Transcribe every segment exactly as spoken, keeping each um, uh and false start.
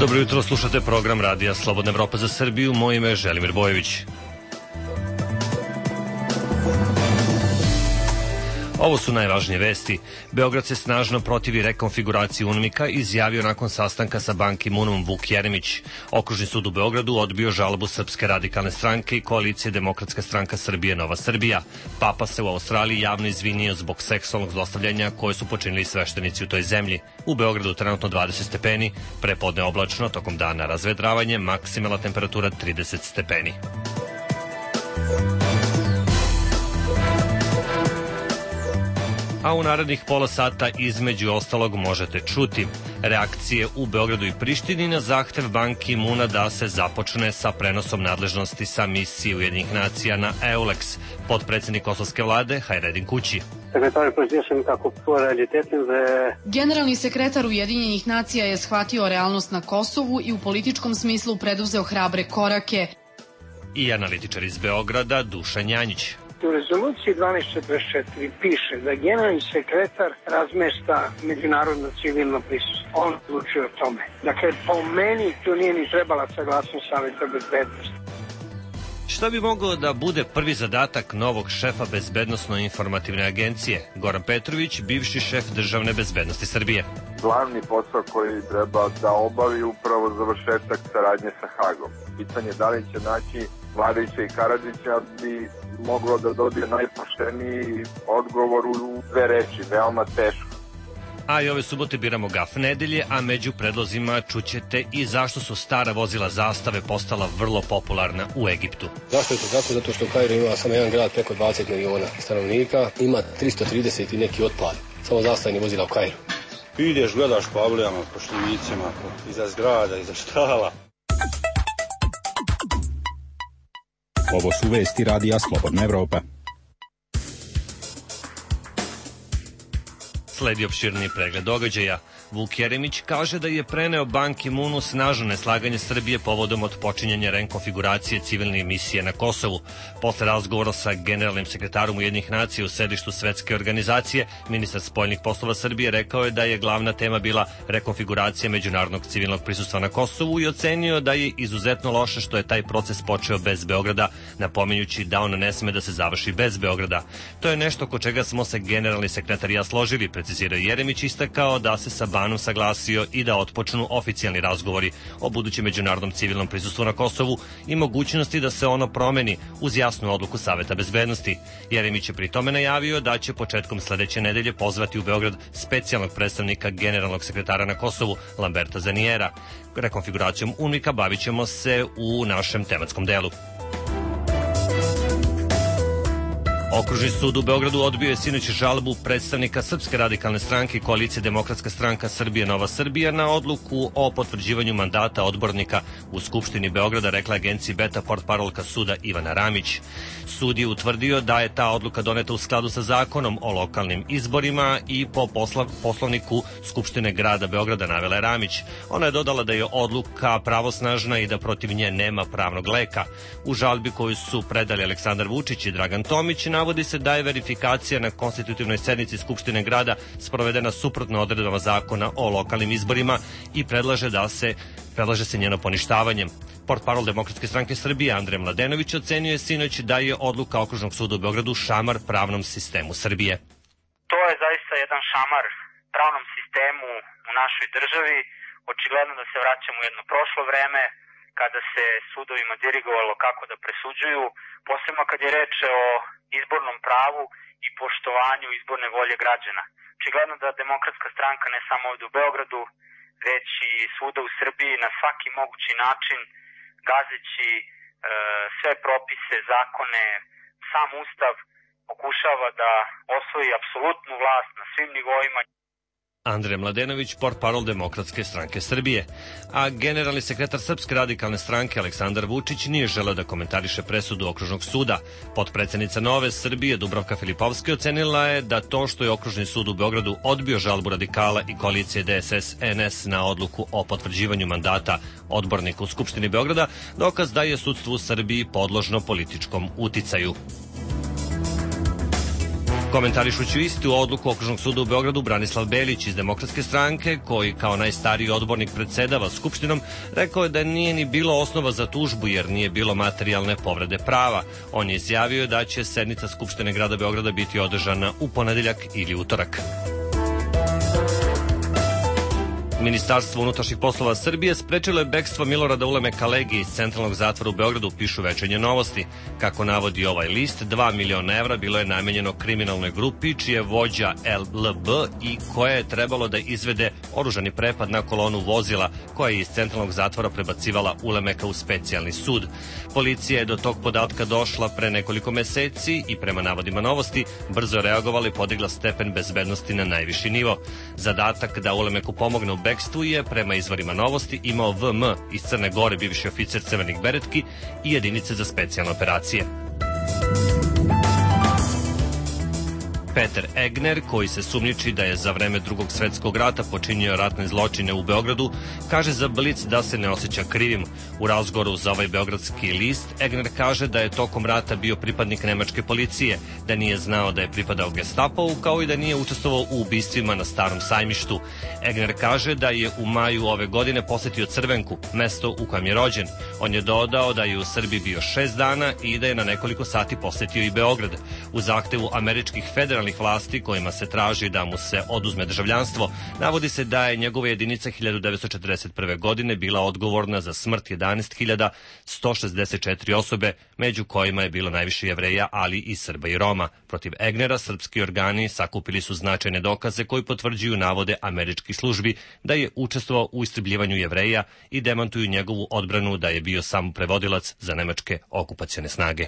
Dobro jutro, slušate program Radija Slobodna Evropa za Srbiju. Moje ime je Želimir Bojević. Ovo su najvažnije vesti. Beograd se snažno protivi rekonfiguraciji UNMIK-a, izjavio nakon sastanka sa Ban Ki-moonom Vuk Jeremić. Okružni sud u Beogradu odbio žalbu Srpske radikalne stranke i koalicije Demokratska stranka Srbije Nova Srbija. Papa se u Australiji javno izvinio zbog seksualnog zlostavljanja koje su počinili sveštenici u toj zemlji. U Beogradu trenutno dvadeset stepeni, prepodne oblačno, tokom dana razvedravanje, maksimalna temperatura trideset stepeni. A u narednih pola sata između ostalog možete čuti reakcije u Beogradu i Prištini na zahtev Ban Ki-moona da se započne sa prenosom nadležnosti sa misije Ujedinjenih nacija na EULEX. Potpredsednik kosovske vlade Hajredin Kući. Generalni sekretar Ujedinjenih nacija je shvatio realnost na Kosovu i u političkom smislu preduzeo hrabre korake. I analitičar iz Beograda Dušan Janjić. U rezoluciji dvanaest četrdeset četiri piše da generalni sekretar razmešta međunarodno civilno prisustvo. On odlučuje o tome. Dakle, po meni tu nije ni trebala saglasnost Saveta bezbednosti. Šta bi mogao da bude prvi zadatak novog šefa Bezbednosno-informativne agencije? Goran Petrović, bivši šef Državne bezbednosti Srbije. Glavni posao koji treba da obavi upravo završetak saradnje sa Hagom. Pitanje da li će naći Vladića i Karadžića bi moglo da dobije najpošteniji odgovor u dve reči, veoma teško. A i ove subote biramo gaf nedelje, a među predlozima čućete i zašto su stara vozila zastave postala vrlo popularna u Egiptu. Zašto je to tako? Zato što u Kairu ima samo jedan grad preko dvadeset miliona stanovnika, ima tristo trideset i neki otpad, samo zastavnih vozila u Kairu. Ideš, gledaš po avlijama, po šljinicima, iza zgrada, iza štala. Ovo su vesti Radija Slobodna Evropa. Sledi opširni pregled događaja. Vuk Jeremić kaže da je preneo Ban Ki-moonu snažno neslaganje Srbije povodom otpočinjanja rekonfiguracije civilne misije na Kosovu. Posle razgovora sa generalnim sekretarom Ujedinjenih nacija u sedištu Svetske organizacije, ministar spoljnih poslova Srbije rekao je da je glavna tema bila rekonfiguracija međunarodnog civilnog prisustva na Kosovu i ocenio da je izuzetno loše što je taj proces počeo bez Beograda, napominjući da on ne sme da se završi bez Beograda. To je nešto oko čega smo se generalni sekretar i ja složili, precizirao Jeremić, istakao da se sa Banom saglasio i da otpočnu oficijalni razgovori o budućem međunarodnom civilnom prisustvu na Kosovu i mogućnosti da se ono promeni uz jasnu odluku Saveta bezbednosti. Jeremić je pri tome najavio da će početkom sledeće nedelje pozvati u Beograd specijalnog predstavnika generalnog sekretara na Kosovu Lamberta Zanijera. Rekonfiguracijom UNMIK-a bavit ćemo se u našem tematskom delu. Okružni sud u Beogradu odbio je sinoć žalbu predstavnika Srpske radikalne stranke i koalicije Demokratska stranka Srbije Nova Srbija na odluku o potvrđivanju mandata odbornika u Skupštini Beograda, rekla agenciji Beta portparolka suda Ivana Ramić. Sud je utvrdio da je ta odluka doneta u skladu sa zakonom o lokalnim izborima i po posla, poslovniku Skupštine grada Beograda, navela je Ramić. Ona je dodala da je odluka pravosnažna i da protiv nje nema pravnog leka. U žalbi koju su predali Aleksandar Vučić i Dragan Tomić navodi se da je verifikacija na konstitutivnoj sednici Skupštine grada sprovedena suprotno odredbama zakona o lokalnim izborima i predlaže da se predlaže se njeno poništavanje. Portparol Demokratske stranke Srbije Andrej Mladenović ocenio je sinoć da je odluka Okružnog suda u Beogradu šamar pravnom sistemu Srbije. To je zaista jedan šamar pravnom sistemu u našoj državi. Očigledno da se vraćamo u jedno prošlo vreme kada se sudovima dirigovalo kako da presuđuju, posebno kad je reč o izbornom pravu i poštovanju izborne volje građana. Očigledno da Demokratska stranka ne samo ovde u Beogradu, već i svuda u Srbiji na svaki mogući način, gazeći e, sve propise, zakone, sam Ustav, pokušava da osvoji apsolutnu vlast na svim nivoima. Andrej Mladenović, portparol Demokratske stranke Srbije. A generalni sekretar Srpske radikalne stranke Aleksandar Vučić nije želeo da komentariše presudu Okružnog suda. Potpredsednica Nove Srbije Dubravka Filipovski ocenila je da to što je Okružni sud u Beogradu odbio žalbu radikala i koalicije D S S N S na odluku o potvrđivanju mandata odbornika u Skupštini Beograda, dokaz da je sudstvo u Srbiji podložno političkom uticaju. Komentarišući istu odluku Okružnog suda u Beogradu, Branislav Belić iz Demokratske stranke, koji kao najstariji odbornik predsedava Skupštinom, rekao je da nije ni bilo osnova za tužbu jer nije bilo materijalne povrede prava. On je izjavio da će sednica Skupštine grada Beograda biti održana u ponedeljak ili utorak. Ministarstvo unutrašnjih poslova Srbije sprečilo je bekstvo Milorada Ulemeka Legije iz centralnog zatvora u Beogradu, pišu Večernje novosti. Kako navodi ovaj list, dva miliona evra bilo je namenjeno kriminalnoj grupi čije vođa L L B i koja je trebalo da izvede oružani prepad na kolonu vozila koja je iz centralnog zatvora prebacivala Ulemeka u specijalni sud. Policija je do tog podatka došla pre nekoliko meseci i prema navodima novosti brzo reagovala i podigla stepen bezbednosti na najviši nivo. Zadatak da Ulemeku pomogne u bekstvu je, prema izvorima novosti, imao V M iz Crne Gore, bivši oficir Crvenih beretki i jedinice za specijalne operacije. Peter Egner, koji se sumnjiči da je za vreme Drugog svetskog rata počinio ratne zločine u Beogradu, kaže za Blic da se ne osjeća krivim. U razgovoru za ovaj beogradski list, Egner kaže da je tokom rata bio pripadnik nemačke policije, da nije znao da je pripadao Gestapovu, kao i da nije učestvovao u ubistvima na Starom sajmištu. Egner kaže da je u maju ove godine posetio Crvenku, mesto u kojem je rođen. On je dodao da je u Srbiji bio šest dana i da je na nekoliko sati posetio i Beograd. U zahtevu američkih federalnih vlasti kojima se traži da mu se oduzme državljanstvo, navodi se da je njegova jedinica hiljadu devetsto četrdeset prve. godine bila odgovorna za smrt jedanaest hiljada sto šezdeset četiri osobe, među kojima je bilo najviše Jevreja, ali i Srba i Roma. Protiv Egnera srpski organi sakupili su značajne dokaze koji potvrđuju navode američkih službi da je učestvovao u istrebljivanju Jevreja i demantuju njegovu odbranu da je bio samo prevodilac za nemačke okupacione snage.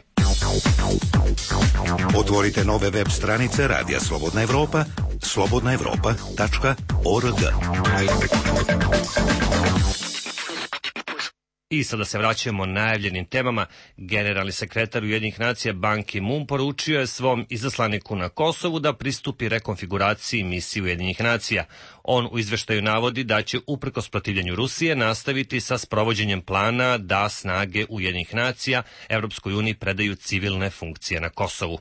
Otvorite nove web stranice Radija Slobodna Evropa, slobodna evropa tačka org. I sada se vraćamo najavljenim temama. Generalni sekretar Ujedinjenih nacija Ban Ki-moon poručio je svom izaslaniku na Kosovu da pristupi rekonfiguraciji misije Ujedinjenih nacija. On u izveštaju navodi da će uprkos protivljenju Rusije nastaviti sa sprovođenjem plana da snage Ujedinjenih nacija Evropskoj uniji predaju civilne funkcije na Kosovu.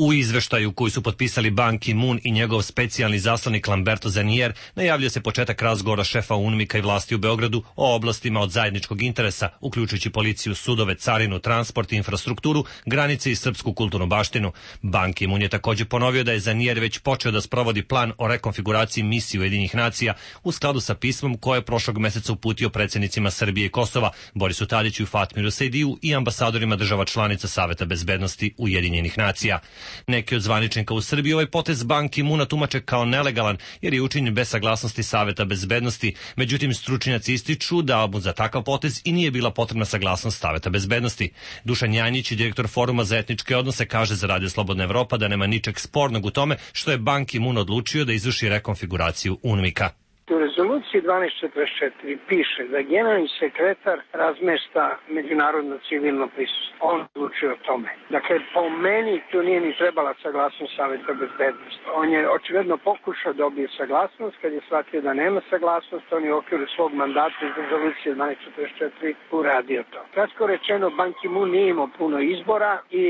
U izveštaju koji su potpisali Ban Ki-moon i njegov specijalni zaslanik Lamberto Zanier najavljuje se početak razgovora šefa UNMIK-a i vlasti u Beogradu o oblastima od zajedničkog interesa, uključujući policiju, sudove, carinu, transport, infrastrukturu, granice i srpsku kulturnu baštinu. Ban Ki-moon je takođe ponovio da je Zanier već počeo da sprovodi plan o rekonfiguraciji misije Ujedinjenih nacija u skladu sa pismom koje je prošlog meseca uputio predsjednicima Srbije i Kosova, Borisu Tadiću i Fatmiru Sejdiju i ambasadorima država članica Saveta bezbednosti Ujedinjenih nacija. Neki od zvaničnika u Srbiji ovaj potez Ban Ki-moona tumače kao nelegalan jer je učinjen bez saglasnosti Saveta bezbednosti. Međutim, stručnjaci ističu da mu za takav potez i nije bila potrebna saglasnost Saveta bezbednosti. Dušan Janjić, direktor Foruma za etničke odnose, kaže za Radio Slobodna Evropa da nema ničeg spornog u tome što je Ban Ki-moon odlučio da izvrši rekonfiguraciju UNMIK-a. U rezoluciji dvanaest četrdeset četiri piše da generalni sekretar razmešta međunarodno civilno prisustvo. On odlučuje o tome. Dakle, po meni tu nije ni trebala saglasnost Saveta bezbednosti. On je očigledno pokušao da dobije saglasnost, kad je shvatio da nema saglasnost, on je u okviru svog mandata iz rezolucije dvanaest četrdeset četiri uradio to. Kratko rečeno, Ban Ki-moon nije imao puno izbora i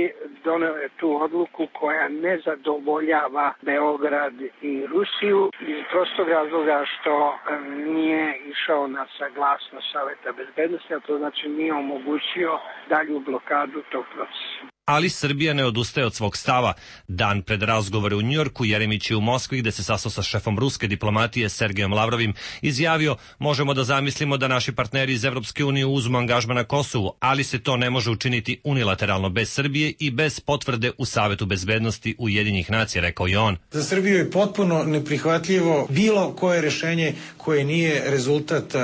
doneo je tu odluku koja ne zadovoljava Beograd i Rusiju iz prostog razloga što nije išao na saglasnost Saveta bezbednosti, a to znači nije omogućio dalju blokadu tog procesa. Ali Srbija ne odustaje od svog stava. Dan pred razgovore u Njujorku, Jeremić je u Moskvi, gde se sastao sa šefom ruske diplomatije Sergejom Lavrovim, izjavio: možemo da zamislimo da naši partneri iz Evropske unije uzmu angažman na Kosovu, ali se to ne može učiniti unilateralno bez Srbije i bez potvrde u Savetu bezbednosti Ujedinjenih nacija, rekao je on. Za Srbiju je potpuno neprihvatljivo bilo koje rešenje koje nije rezultat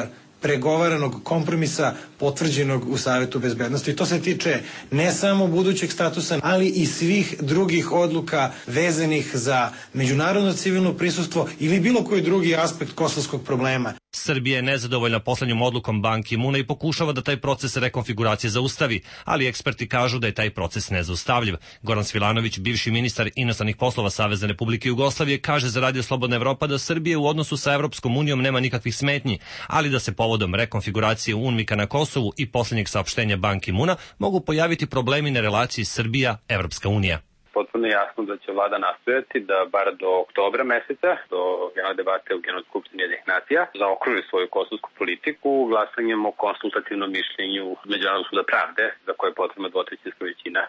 pregovaranog kompromisa potvrđenog u Savetu bezbednosti. To se tiče ne samo budućeg statusa, ali i svih drugih odluka vezanih za međunarodno civilno prisustvo ili bilo koji drugi aspekt kosovskog problema. Srbija je nezadovoljna poslednjom odlukom Ban Ki-moona i pokušava da taj proces rekonfiguracije zaustavi, ali eksperti kažu da je taj proces nezaustavljiv. Goran Svilanović, bivši ministar inostranih poslova Savezne Republike Jugoslavije, kaže za Radio Slobodna Evropa da Srbija u odnosu sa Evropskom unijom nema nikakvih smetnji, ali da se povodom rekonfiguracije UNMIK-a na Kosovu i poslednjeg saopštenja Ban Ki-moona mogu pojaviti problemi na relaciji Srbija-Evropska unija. potpuno jasno da će vlada nastojati da bar do oktobra meseca, do generalne debate u Generalnoj skupštini Ujedinjenih nacija, zaokruži svoju kosovsku politiku glasanjem o konsultativnom mišljenju Međunarodnog suda pravde, za koje je potrebna dvotrećinska većina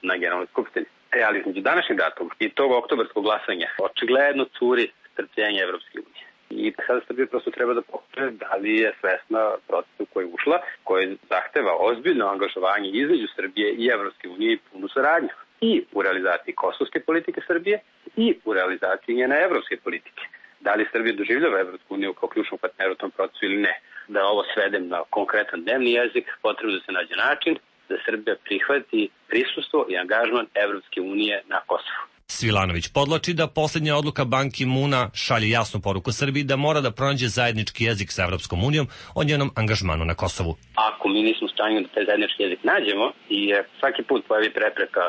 na Generalnoj skupštini. E, ali između današnjeg datuma i tog oktobarskog glasanja očigledno curi strpljenje Evropske unije. I sada Srbija prosto treba da pokaže da li je svesna procesu koji je ušla, koji zahteva ozbiljno angažovanje između Srbije i Evropske unije i punu saradnju i u realizaciji kosovske politike Srbije i u realizaciji njene evropske politike. Da li Srbija doživljava Evropsku uniju kao ključnog partnera u tom procesu ili ne? Da ovo svedem na konkretan dnevni jezik, potrebno da se nađe način da Srbija prihvati prisustvo i angažman Evropske unije na Kosovu. Svilanović podlači da posljednja odluka Ban Ki-moona šalje jasnu poruku Srbiji da mora da pronađe zajednički jezik sa Evropskom unijom o njenom angažmanu na Kosovu. Ako mi nismo u stanju da taj zajednički jezik nađemo i svaki put pojavi prepreka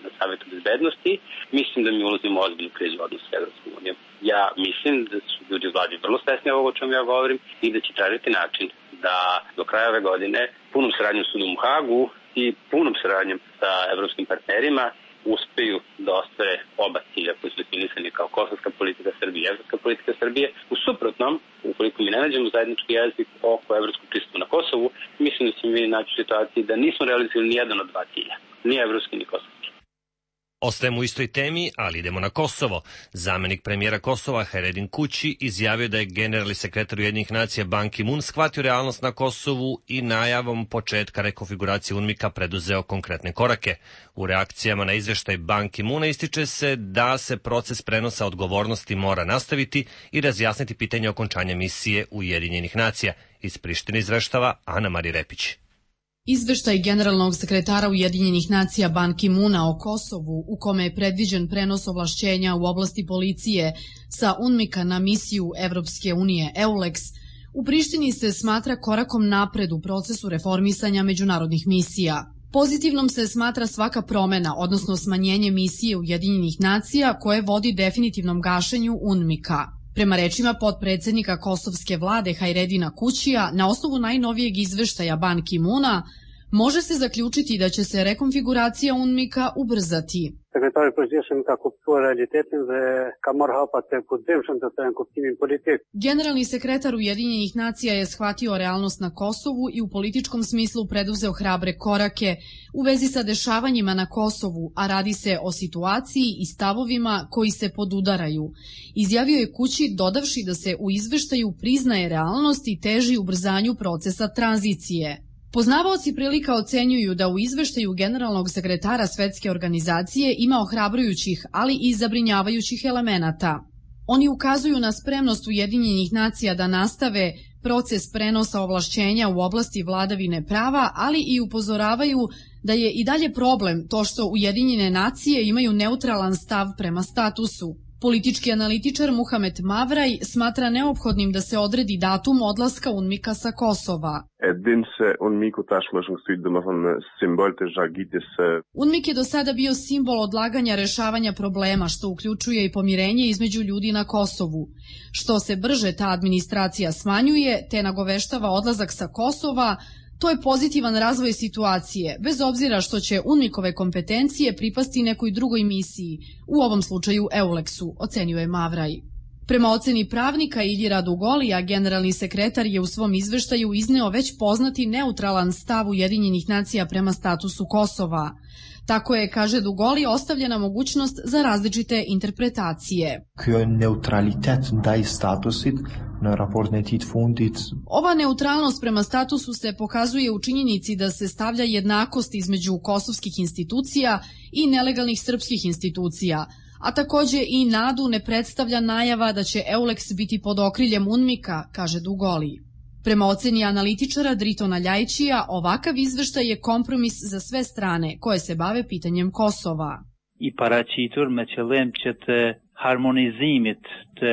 na Savetu bezbednosti, mislim da mi ulazimo u ozbiljnu krizu odnosa sa Evropskom unijom. Ja mislim da su ljudi u vladi vrlo svesni ovoga o čemu ja govorim i da će tražiti način da do kraja ove godine punom saradnjom s sudom u Hagu i punom saradnjom sa evropskim partnerima uspeju da ostvare oba cilja koji su definisani kao kosovska politika Srbije i evropska politika Srbije. U suprotnom, ukoliko mi ne nađemo zajednički jezik oko evropskog pristupa na Kosovu, mislim da ćemo mi naći u situaciji da nismo realizovali ni jedan od dva cilja, ni evropski ni kosovski. Ostajemo u istoj temi, ali idemo na Kosovo. Zamenik premijera Kosova Hajredin Kući izjavio da je generalni sekretar Ujedinjenih nacija Ban Ki-moon shvatio realnost na Kosovu i najavom početka rekonfiguracije UNMIK-a preduzeo konkretne korake. U reakcijama na izveštaj Ban Ki-moona ističe se da se proces prenosa odgovornosti mora nastaviti i razjasniti pitanje okončanja misije Ujedinjenih nacija. Iz Prištine izveštava Ana Marija Repić. Izveštaj generalnog sekretara Ujedinjenih nacija Ban Ki-moona o Kosovu, u kome je predviđen prenos ovlašćenja u oblasti policije sa UNMIK-a na misiju Evropske unije EULEX, u Prištini se smatra korakom napred u procesu reformisanja međunarodnih misija. Pozitivnom se smatra svaka promena, odnosno smanjenje misije Ujedinjenih nacija koje vodi definitivnom gašenju UNMIK-a. Prema rečima potpredsednika kosovske vlade Hajredina Kućija, na osnovu najnovijeg izveštaja Ban Ki-moona, može se zaključiti da će se rekonfiguracija UNMIK-a ubrzati. Sekretari përgjithshëm ka kuptuar realitetin dhe ka marrë hapa të kujdimshëm të në kuptimin politik. Generalni sekretar Ujedinjenih nacija je shvatio realnost na Kosovu i u političkom smislu preduzeo hrabre korake u vezi sa dešavanjima na Kosovu, a radi se o situaciji i stavovima koji se podudaraju. Izjavio je Kući dodavši da se u izveštaju priznaje realnost i teži ubrzanju procesa tranzicije. Poznavaoci prilika ocenjuju da u izveštaju generalnog sekretara Svetske organizacije ima ohrabrujućih, ali i zabrinjavajućih elemenata. Oni ukazuju na spremnost Ujedinjenih nacija da nastave proces prenosa ovlašćenja u oblasti vladavine prava, ali i upozoravaju da je i dalje problem to što Ujedinjene nacije imaju neutralan stav prema statusu. Politički analitičar Muhamed Mavraj smatra neophodnim da se odredi datum odlaska UNMIK-a sa Kosova. UNMIK je do sada bio simbol odlaganja rešavanja problema, što uključuje i pomirenje između ljudi na Kosovu. Što se brže ta administracija smanjuje, te nagoveštava odlazak sa Kosova, to je pozitivan razvoj situacije, bez obzira što će UNMIK-ove kompetencije pripasti nekoj drugoj misiji, u ovom slučaju EULEX-u, ocenjuje Mavraj. Prema oceni pravnika Iljira Dugolija, generalni sekretar je u svom izveštaju izneo već poznati neutralan stav Ujedinjenih nacija prema statusu Kosova. Tako je, kaže Dugoli, ostavljena mogućnost za različite interpretacije. Ova neutralnost prema statusu se pokazuje u činjenici da se stavlja jednakost između kosovskih institucija i nelegalnih srpskih institucija, a takođe i nadu ne predstavlja najava da će EULEX biti pod okriljem UNMIK-a, kaže Dugoli. Prema oceni analitičara Dritona Ljajićija, ovakav izveštaj je kompromis za sve strane koje se bave pitanjem Kosova. I paraqitur me qëllim që të harmonizimit të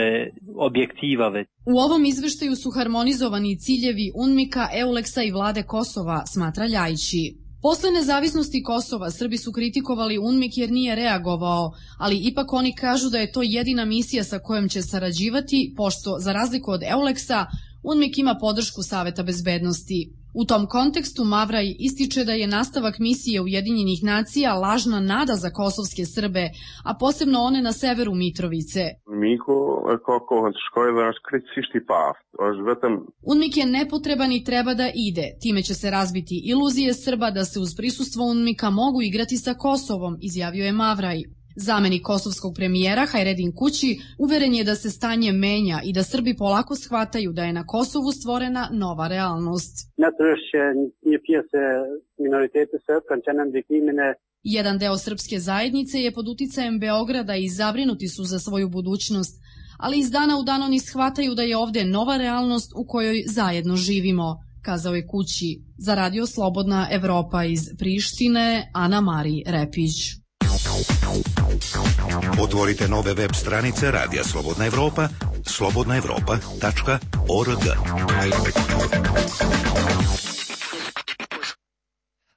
objektivave. U ovom izveštaju su harmonizovani ciljevi UNMIK-a, EULEX-a i vlade Kosova, smatra Ljajići. Posle nezavisnosti Kosova, Srbi su kritikovali UNMIK jer nije reagovao, ali ipak oni kažu da je to jedina misija sa kojom će sarađivati, pošto, za razliku od EULEX-a, UNMIK ima podršku Saveta bezbednosti. U tom kontekstu Mavraj ističe da je nastavak misije Ujedinjenih nacija lažna nada za kosovske Srbe, a posebno one na severu Mitrovice. UNMIK je nepotreban i treba da ide. Time će se razbiti iluzije Srba da se uz prisustvo UNMIK-a mogu igrati sa Kosovom, izjavio je Mavraj. Zamenik kosovskog premijera Hajredin Kući uveren je da se stanje menja i da Srbi polako shvataju da je na Kosovu stvorena nova realnost. Jedan deo srpske zajednice je pod uticajem Beograda i zabrinuti su za svoju budućnost, ali iz dana u dan oni shvataju da je ovde nova realnost u kojoj zajedno živimo, kazao je Kući. Za Radio Slobodna Evropa iz Prištine, Ana Mari Repić. Otvorite nove web stranice Radija Slobodna Evropa, slobodna evropa tačka org.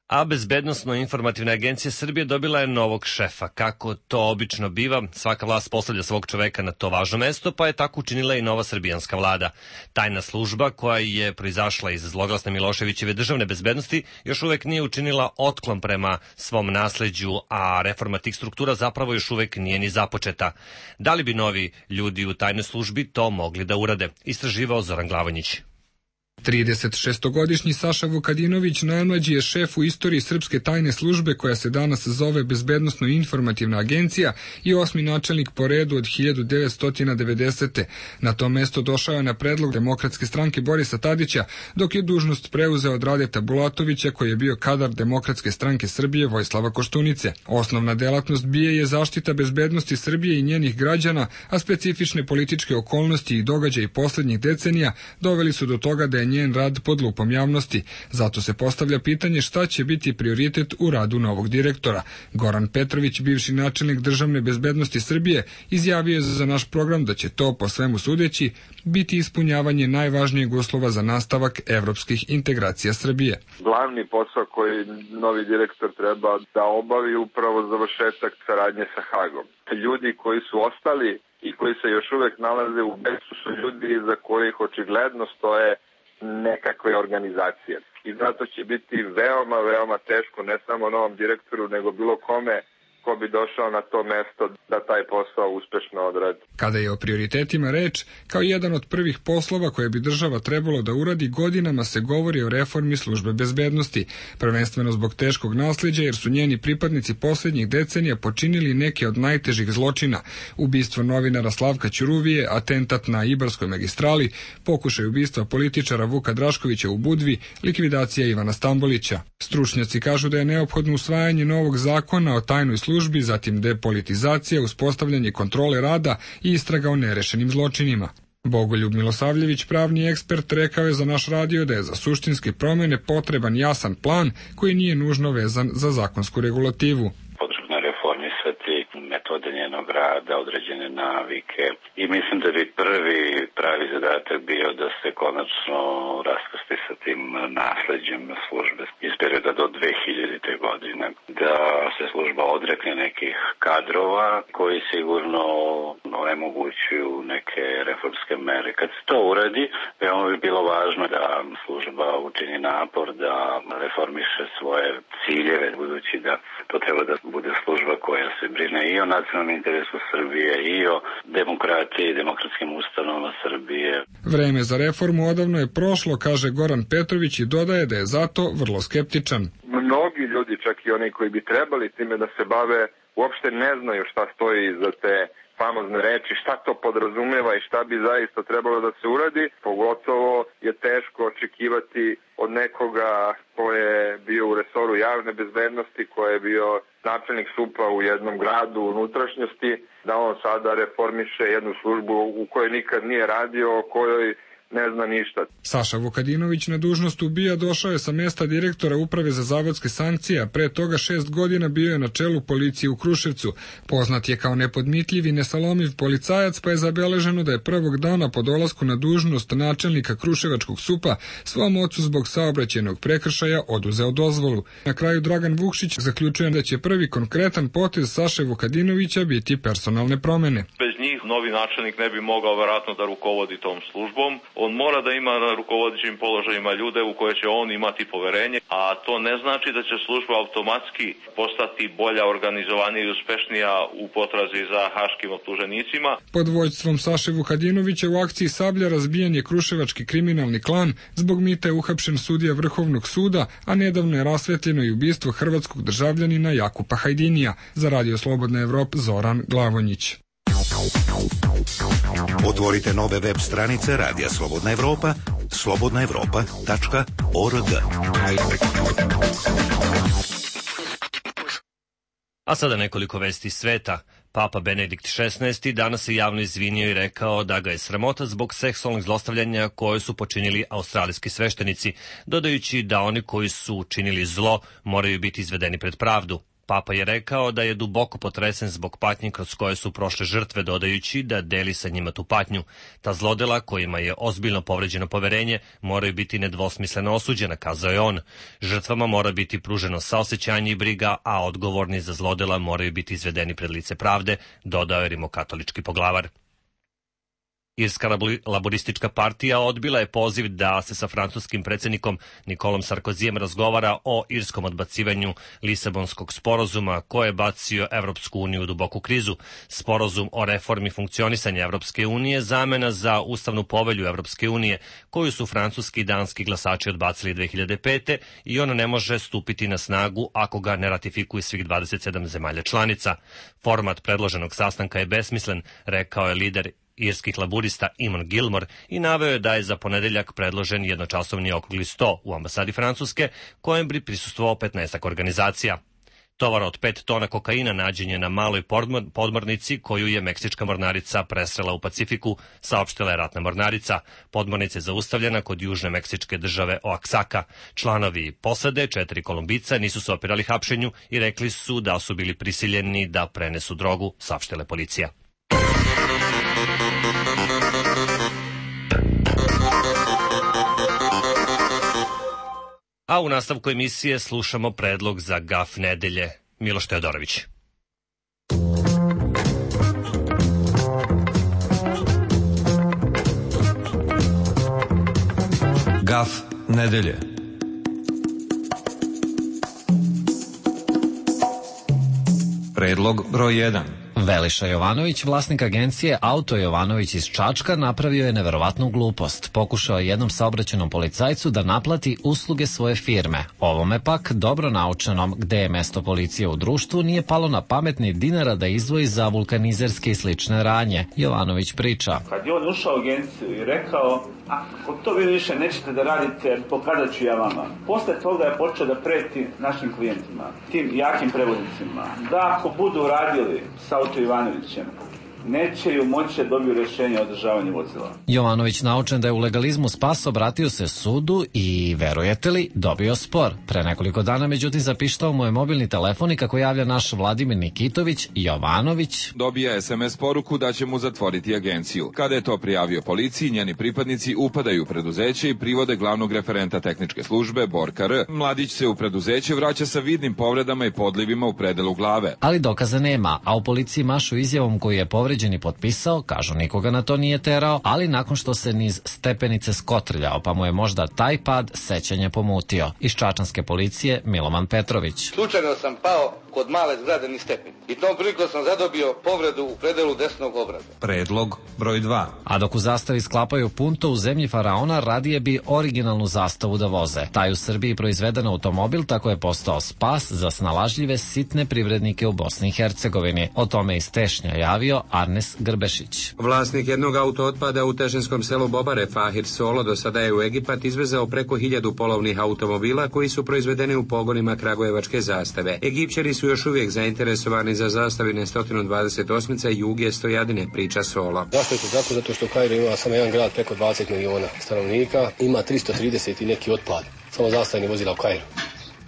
A Bezbednosno-informativna agencija Srbije dobila je novog šefa. Kako to obično biva, svaka vlast postavlja svog čoveka na to važno mesto, pa je tako učinila i nova srbijanska vlada. Tajna služba, koja je proizašla iz zloglasne Miloševićeve državne bezbednosti, još uvek nije učinila otklon prema svom nasleđu, a reforma tih struktura zapravo još uvek nije ni započeta. Da li bi novi ljudi u tajnoj službi to mogli da urade? Istraživao Zoran Glavonjić. tridesetšestogodišnji Saša Vukadinović najmlađi je šef u istoriji srpske tajne službe koja se danas zove Bezbednosno-informativna agencija i osmi načelnik po redu od hiljadu devetsto devedesete. Na to mesto došao je na predlog Demokratske stranke Borisa Tadića, dok je dužnost preuzeo od Radeta Bulatovića koji je bio kadar Demokratske stranke Srbije Vojislava Koštunice. Osnovna delatnost B I A je zaštita bezbednosti Srbije i njenih građana, a specifične političke okolnosti i događaji poslednjih decenija doveli su do toga da je njen rad pod lupom javnosti. Zato se postavlja pitanje šta će biti prioritet u radu novog direktora. Goran Petrović, bivši načelnik državne bezbednosti Srbije, izjavio je za naš program da će to, po svemu sudeći, biti ispunjavanje najvažnijeg uslova za nastavak evropskih integracija Srbije. Glavni posao koji novi direktor treba da obavi upravo završetak saradnje sa Hagom. Ljudi koji su ostali i koji se još uvek nalaze u beksu su ljudi za kojih očigledno stoje nekakve organizacije. I zato će biti veoma, veoma teško ne samo novom direktoru, nego bilo kome ko bi došao na to mesto da taj posao uspešno odradi. Kada je o prioritetima reč, kao jedan od prvih poslova koje bi država trebalo da uradi, godinama se govori o reformi službe bezbednosti, prvenstveno zbog teškog nasleđa jer su njeni pripadnici poslednjih decenija počinili neke od najtežih zločina: ubistvo novinara Slavka Ćuruvije, atentat na Ibarskoj magistrali, pokušaj ubistva političara Vuka Draškovića u Budvi, likvidacija Ivana Stambolića. Stručnjaci kažu da je neophodno usvajanje novog zakona o tajnoj službi, zatim depolitizacija, uspostavljanje kontrole rada i istraga o nerešenim zločinima. Bogoljub Milosavljević, pravni ekspert, rekao je za naš radio da je za suštinske promene potreban jasan plan koji nije nužno vezan za zakonsku regulativu. Metode njenog rada, određene navike i mislim da bi prvi pravi zadatak bio da se konačno raskrsti sa tim nasleđem službe iz perioda do dve hiljadite. godine, da se služba odrekne nekih kadrova koji sigurno onemogućuju neke reformske mere. Kad se to uradi, veoma bi bilo važno da služba učini napor da reformiše svoje ciljeve, budući da to treba da bude služba koja se brine i o nacionalnom interesu Srbije i o demokratiji i demokratskim ustanovama Srbije. Vreme za reformu odavno je prošlo, kaže Goran Petrović i dodaje da je zato vrlo skeptičan. Mnogi ljudi, čak i oni koji bi trebali time da se bave, uopšte ne znaju šta stoji iza te famozne reči, šta to podrazumeva i šta bi zaista trebalo da se uradi. Pogotovo je teško očekivati od nekoga ko je bio u resoru javne bezbednosti, ko je bio načelnik SUP-a u jednom gradu u unutrašnjosti, da on sada reformiše jednu službu u kojoj nikad nije radio, o kojoj ne zna ništa. Saša Vukadinović na dužnost u B I A došao je sa mesta direktora Uprave za zavodske sankcije, a pre toga šest godina bio je na čelu policije u Kruševcu. Poznat je kao nepodmitljiv i nesalomiv policajac, pa je zabeleženo da je prvog dana po dolasku na dužnost načelnika Kruševačkog SUP-a svom ocu zbog saobraćajnog prekršaja oduzeo dozvolu. Na kraju Dragan Vukšić zaključuje da će prvi konkretan potez Saše Vukadinovića biti personalne promene. Već njih novi načelnik ne bi mogao verovatno da rukovodi tom službom. On mora da ima na rukovodećim položajima ljude u koje će on imati poverenje, a to ne znači da će služba automatski postati bolja, organizovanija i uspešnija u potrazi za haškim optuženicima. Pod vođstvom Saše Vukadinovića u akciji Sablja razbijen je kruševački kriminalni klan, zbog mita je uhapšen sudija Vrhovnog suda, a nedavno je rasvetljeno i ubistvo hrvatskog državljanina Jakupa Hajdinija. Za Radio Slobodna Evropa Zoran Glavonjić. Otvorite nove web stranice Radija Slobodna Evropa, slobodna evropa tačka org. A sada nekoliko vesti iz sveta. Papa Benedikt šesnaesti danas se javno izvinio i rekao da ga je sramota zbog seksualnog zlostavljanja koje su počinili australijski sveštenici, dodajući da oni koji su učinili zlo moraju biti izvedeni pred pravdu. Papa je rekao da je duboko potresen zbog patnji kroz koje su prošle žrtve, dodajući da deli sa njima tu patnju. Ta zlodela kojima je ozbiljno povređeno poverenje moraju biti nedvosmisleno osuđena, kazao je on. Žrtvama mora biti pruženo saosećanje i briga, a odgovorni za zlodela moraju biti izvedeni pred lice pravde, dodao je rimokatolički poglavar. Irska laboristička partija odbila je poziv da se sa francuskim predsjednikom Nikolom Sarkozijem razgovara o irskom odbacivanju Lisabonskog sporazuma koje je bacio Evropsku uniju u duboku krizu. Sporazum o reformi funkcionisanja Evropske unije zamena za ustavnu povelju Evropske unije koju su francuski i danski glasači odbacili dve hiljade pete i ona ne može stupiti na snagu ako ga ne ratifikuje svih dvadeset sedam zemalja članica. Format predloženog sastanka je besmislen, rekao je lider irskih laburista Eamon Gilmore i naveo je da je za ponedeljak predložen jednočasovni okrugli sto u ambasadi Francuske, kojem bi prisustvovao petnaestak organizacija. Tovar od pet tona kokaina nađen je na maloj podmornici koju je meksička mornarica presrela u Pacifiku, saopštila je ratna mornarica. Podmornica je zaustavljena kod južne meksičke države Oaxaca. Članovi posade, četiri Kolumbica, nisu se opirali hapšenju i rekli su da su bili prisiljeni da prenesu drogu, saopštila je policija. A u nastavku emisije slušamo predlog za gaf nedelje. Miloš Teodorović. Gaf nedelje. Predlog broj jedan. Veliša Jovanović, vlasnik agencije Auto Jovanović iz Čačka, napravio je neverovatnu glupost. Pokušao je jednom saobraćajnom policajcu da naplati usluge svoje firme. Ovome pak, dobro naučenom gde je mesto policije u društvu, nije palo na pamet ni dinara da izdvoji za vulkanizerske i slične radnje. Jovanović priča. Kad je on ušao u agenciju i rekao, ako to vi više nećete da radite, pokazat ću ja vama. Posle toga je počeo da preti našim klijentima, tim jakim prevoznicima, da ako budu radili sa Auto Jovanovićem, neće ju moći da dobiju rješenje o održavanju vozila. Jovanović, naučen da je u legalizmu spas, obratio se sudu i, verujete li, dobio spor. Pre nekoliko dana, međutim, zapištao mu je mobilni telefon i kako javlja naš Vladimir Nikitović, Jovanović dobija es em es poruku da će mu zatvoriti agenciju. Kada je to prijavio policiji, njeni pripadnici upadaju u preduzeće i privode glavnog referenta tehničke službe, Borka R. Mladić se u preduzeće vraća sa vidnim povredama i podlivima u predelu glave. Ali dokaza nema, a u policiji mašu izjavom koju je povređen i potpisao, kažu nikoga na to nije terao, ali nakon što se niz stepenice skotrljao, pa mu je možda taj pad sećanja pomutio. Iz čačanske policije Miloman Petrović. Slučajno sam pao kod male zgrade niz stepen i tom prilikom sam zadobio povredu u predelu desnog obraza. Predlog broj dva. A dok u zastavi sklapaju punto u zemlji faraona, radije bi originalnu zastavu da voze. Taj u Srbiji proizveden automobil tako je postao spas za snalažljive sitne privrednike u Bosni i Hercegovini. O tome iz Tešnja javio Arnes Grbešić. Vlasnik jednog auto otpada u tešinskom selu Bobare, Fahir Solo, do sada je u Egipat izvezao preko hiljadu polovnih automobila koji su proizvedeni u pogonima kragujevačke zastave. Egipćani su još uvijek zainteresovani za zastavine sto dvadeset osam Juge Stojadine, priča Solo. Zašto je to tako? Zato što Kairo ima samo jedan grad preko dvadeset miliona stanovnika, ima tristo trideset i neki otpad, samo zastavni vozila u Kairu.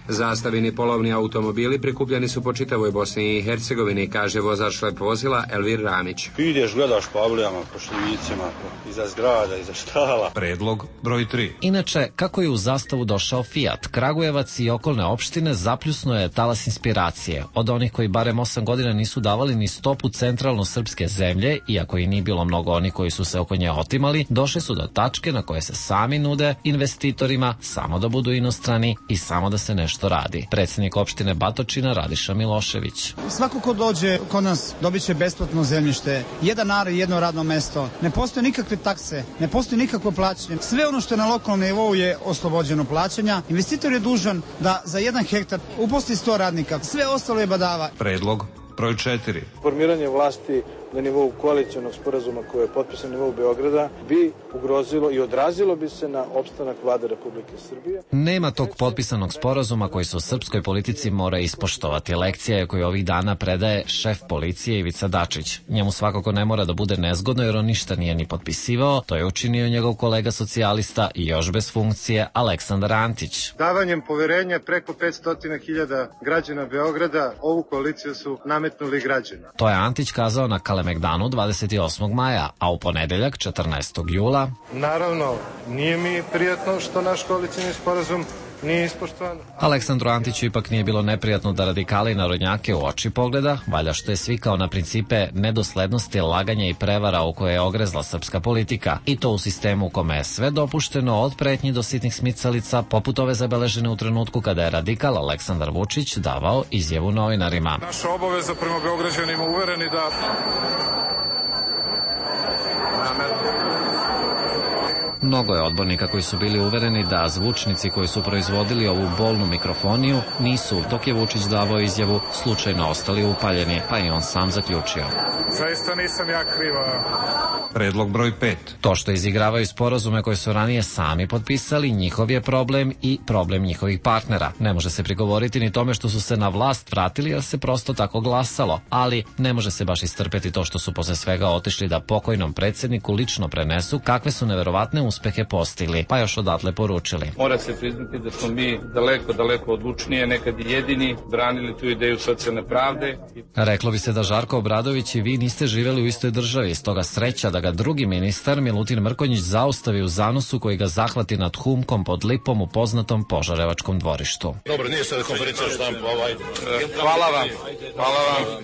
Zastavini polovni automobili prikupljeni su po čitavoj Bosni i Hercegovini, kaže vozač lep vozila Elvir Ramić. Ideš, gledaš po avlijama, po šljivicima, iza zgrada, iza štala. Predlog broj tri. Inače, kako je u Zastavu došao Fiat, Kragujevac i okolne opštine zapljusno je talas inspiracije. Od onih koji barem osam godina nisu davali ni stopu centralno srpske zemlje, iako i nije bilo mnogo oni koji su se oko nje otimali, došli su do tačke na koje se sami nude investitorima samo da budu inostrani i samo da se nešto radi. Predsjednik opštine Batočina Radiša Milošević. Svako ko dođe kod nas dobit će besplatno zemljište, jedan ar i jedno radno mesto. Ne postoje nikakve takse, ne postoji nikakvo plaćanje. Sve ono što je na lokalnom nivou je oslobođeno plaćanja. Investitor je dužan da za jedan hektar uposli sto radnika. Sve ostalo je badava. Predlog broj četiri. Formiranje vlasti na nivou koalicionog sporazuma koji je potpisan na nivou Beograda bi ugrozilo i odrazilo bi se na opstanak vlade Republike Srbije. Nema tog potpisanog sporazuma koji se u srpskoj politici mora ispoštovati. Lekcija je koju ovih dana predaje šef policije Ivica Dačić. Njemu svakako ne mora da bude nezgodno jer on ništa nije ni potpisivao, to je učinio njegov kolega socijalista i još bez funkcije Aleksandar Antić. Davanjem poverenja preko petsto hiljada građana Beograda ovu koaliciju su nametnuli građani. To je Antić kazao na Kalemegdanu dvadeset osmog maja, a u ponedeljak četrnaestog jula. Naravno, nije mi prijatno što naš koalicijni sporazum nije ispoštovan. Aleksandru Antiću ipak nije bilo neprijatno da radikali narodnjake u oči pogleda, valja što je svikao na principe nedoslednosti, laganja i prevara u koje je ogrezla srpska politika, i to u sistemu u kome je sve dopušteno od pretnji do sitnih smicalica, poput ove zabeležene u trenutku kada je radikal Aleksandar Vučić davao izjavu novinarima. Naša obaveza prema Beograđanima uvereni da... Mnogo je odbornika koji su bili uvereni da zvučnici koji su proizvodili ovu bolnu mikrofoniju nisu, dok je Vučić davao izjavu, slučajno ostali upaljeni, pa i on sam zaključio. Zaista nisam ja kriva. Predlog broj pet. To što izigravaju sporazume koje su ranije sami potpisali, njihov je problem i problem njihovih partnera. Ne može se prigovoriti ni tome što su se na vlast vratili jer se prosto tako glasalo, ali ne može se baš istrpeti to što su posle svega otišli da pokojnom predsjedniku lično prenesu kakve su neverovatne uspehe postigli, pa još odatle poručili. Mora se priznati da smo mi daleko, daleko odlučnije, nekad i jedini, branili tu ideju socijalne pravde. Reklo bi se da Žarko Obradović i vi niste živjeli u istoj državi, stoga sreća da ga drugi ministar Milutin Mrkonjić zaustavi u zanosu koji ga zahvati nad Humkom pod Lipom u poznatom Požarevačkom dvorištu. Dobro, nije sada konferencija štampa, ovaj. Hvala vam, hvala vam.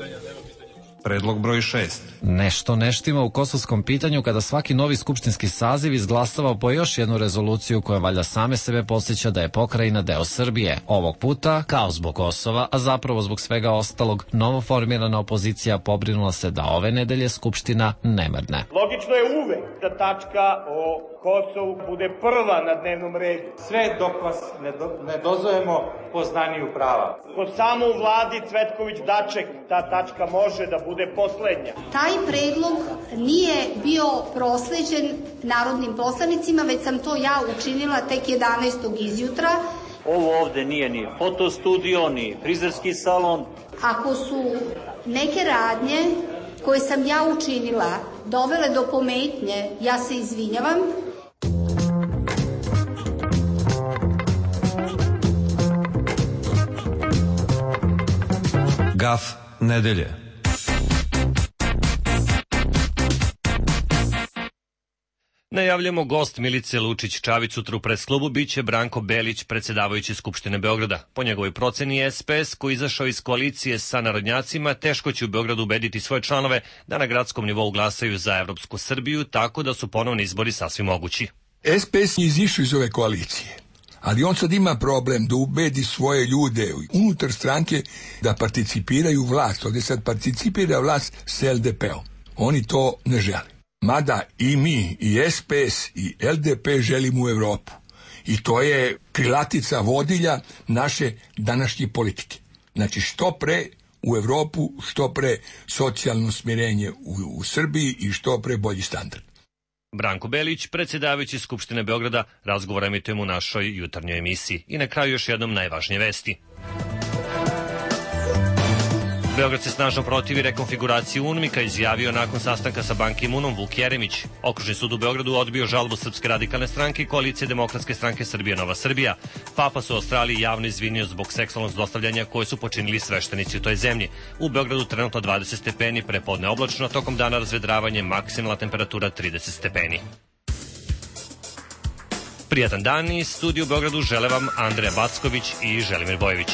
Predlog broj šest. Nešto neštima u kosovskom pitanju kada svaki novi skupštinski saziv izglasava po još jednu rezoluciju koja valja same sebe podsjeća da je pokrajina deo Srbije. Ovog puta, kao zbog Kosova, a zapravo zbog svega ostalog, novoformirana opozicija pobrinula se da ove nedelje Skupština ne mrdne. Logično je uvek da tačka o Kosovu bude prva na dnevnom redu. Sve dok vas ne, do, ne dozovemo poznaniju prava. Kod samo u vladi Cvetković-Daček ta tačka može da bude poslednja. Taj predlog nije bio prosleđen narodnim poslanicima, već sam to ja učinila tek jedanaestog izjutra. Ovo ovde nije ni fotostudio, ni frizerski salon. Ako su neke radnje koje sam ja učinila dovele do pometnje, ja se izvinjavam. Gaf nedelje. Najavljamo gost Milice Lučić-Čavić sutra u presklubu biće Branko Belić, predsjedavajući Skupštine Beograda. Po njegovoj proceni S P S, koji izašao iz koalicije sa narodnjacima, teško će u Beogradu ubediti svoje članove da na gradskom nivou glasaju za Evropsku Srbiju, tako da su ponovni izbori sasvim mogući. S P S je izišao iz ove koalicije, ali on sad ima problem da ubedi svoje ljude unutar stranke da participiraju vlast. Ovdje sad participira vlast s L D P-om. Oni to ne žele. Mada i mi, i S P S, i L D P želimo u Evropu. I to je krilatica vodilja naše današnje politike. Znači, što pre u Evropu, što pre socijalno smirenje u, u Srbiji i što pre bolji standard. Branko Belić, predsjedavajući Skupštine Beograda, razgovor emitujemo u našoj jutarnjoj emisiji. I na kraju još jednom najvažnije vesti. Beograd se snažno protivi rekonfiguraciji UNMIK-a, izjavio nakon sastanka sa Ban Ki-moonom Vuk Jeremić. Okružni sud u Beogradu odbio žalbu Srpske radikalne stranke i koalicije Demokratske stranke Srbija Nova Srbija. Papa se u Australiji javno izvinio zbog seksualnog zlostavljanja koje su počinili sveštenici u toj zemlji. U Beogradu trenutno dvadeset stepeni, prepodne oblačno, tokom dana razvedravanje, maksimalna temperatura trideset stepeni. Prijatan dan iz studiju u Beogradu žele vam Andreja Backović i Želimir Bojević.